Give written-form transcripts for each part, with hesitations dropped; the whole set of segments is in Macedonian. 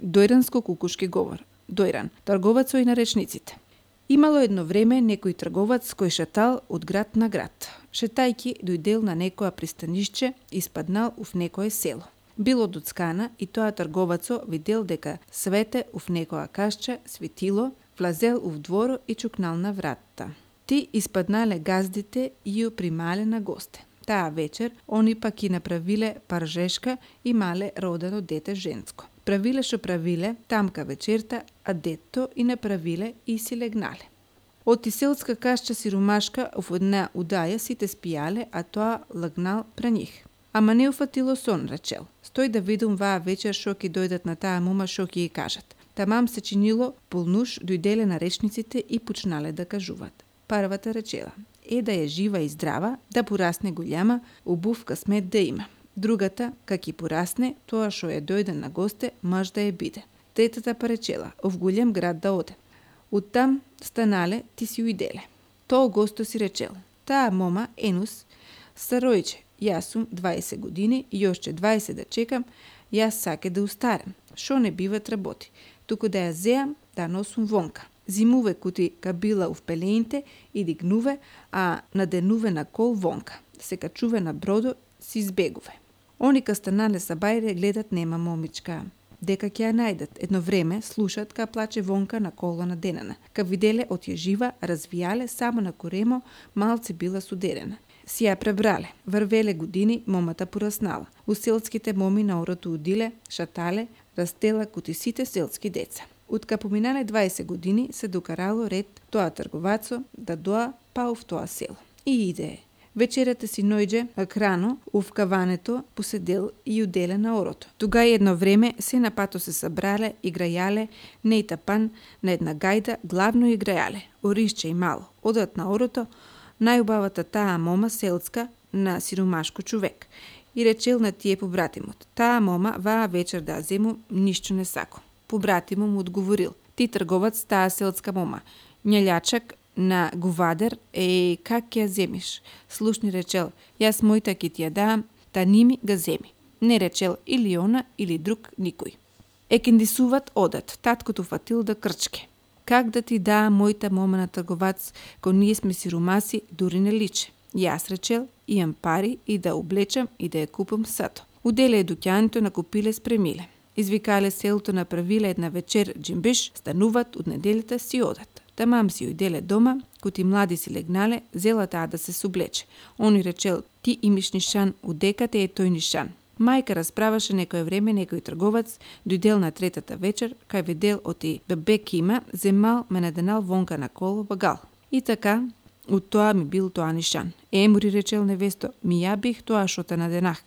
Дојранско-кукушки говор. Дојран, трговецот и наречниците. Имало едно време некој трговац кој шетал од град на град. Шетајки дојдел на некоја пристанишче и спаднал ув некое село. Било доцкана и тоа трговацо видел дека свете ув некоја кашча светило, влазел ув дворо и чукнал на вратата. Ти испаднале газдите и ја примале на госте. Таа вечер они пак и направиле паржешка и мале родено дете женско. Правиле што правиле, тамка вечерта, а детто и направиле и си легнале. Од селска кашча сиромашка в една удаја сите спијале, а тоа лагнал пре нив. Ама не уфатило сон, речел. Стој да видум ваа вечер шо ќе дојдат на таа мома шо ќе ја кажат. Тамам се чинило полнуш, дојделе наречниците и почнале да кажуваат. Првата речела: да е жива и здрава, да порасне голема, убав късмет да има. Другата, как и порасне, тоа шо е дојде на госте, маж да е биде. Третата поречела: в голем град да оде. Оттам станале, ти си уиделе. Тоа госто си речел: таа мома, Енус, старојче, јас сум 20 години и јошче 20 да чекам, јас саке да устарем. Шо не биват работи, туку да ја зеам, да носум вонка. Зимуве кути кабила ув пелеинте и дигнуве, а наденуве на кол вонка. Се качуве на бродо, си избегуве. Они ка станале са бајре гледат нема момичка. Дека ќе ја најдат. Едно време слушат ка плаче вонка на кола на денана. Ка виделе од ја жива, развијале само на коремо, малце била судерена. Си ја пребрале. Врвеле години, момата пораснала. У селските моми на орото удиле, шатале, растела кути сите селски деца. Утка поминале 20 години се докарало ред тоа трговацо да доа па в тоа село. И иде. Вечерата си нојдже крано ув каването поседел и уделе на орото. Тога едно време се на пато се събрале, играјале, не и тапан на една гајда, главно играјале, оришче и мало. Одат на орото, најубавата таа мома селска на сиромашко човек. И речел на тие побратимот: таа мома ваа вечер да зему ништо не сако. Побратимот му одговорил: ти трговац таа селска мома, њелјачак на говадер, как ќе ја земиш? Слушни речел: јас мојта ќе ти ја дам, та ними га земи. Не речел или она, или друг никој. Екендисуват одат, таткото фатил да крчке. Как да ти даа мојта мома на трговац, ко ние сме сиромаси, дури не личе. Јас речел, имам пари и да облечам и да ја купам сато. Уделе дуќаното накупиле спремиле. Извикале селото, направиле една вечер джимбиш, стануват од неделјата си одат. Тамам си ујделе дома, кути млади си легнале, зела таа да се соблече. Они речел: ти имиш нишан, удека те е тој нишан. Мајка расправаше некој време некој трговац, дојдел на третата вечер, кај видел оти бебе кима, земал ме наденал вонка на коло багал. И така, од тоа ми бил тоа нишан. Мури речел невесто: ми ја бих тоа шо те наденах.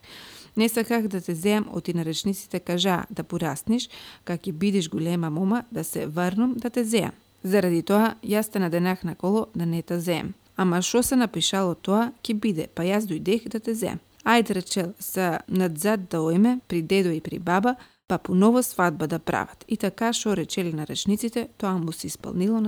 Не саках да те зеам, оти наречниците кажаа да пораснеш, как и бидиш голема мома, да се врнам да те зеам. Заради тоа, јас те наденах на коло да не те зеем. Ама шо се напишало тоа, ки биде, па јас дојдех да те зеем. Ајде речел, са надзад да ојме, при дедо и при баба, па поново свадба да прават. И така шо речели наречниците, тоа му се исполнило на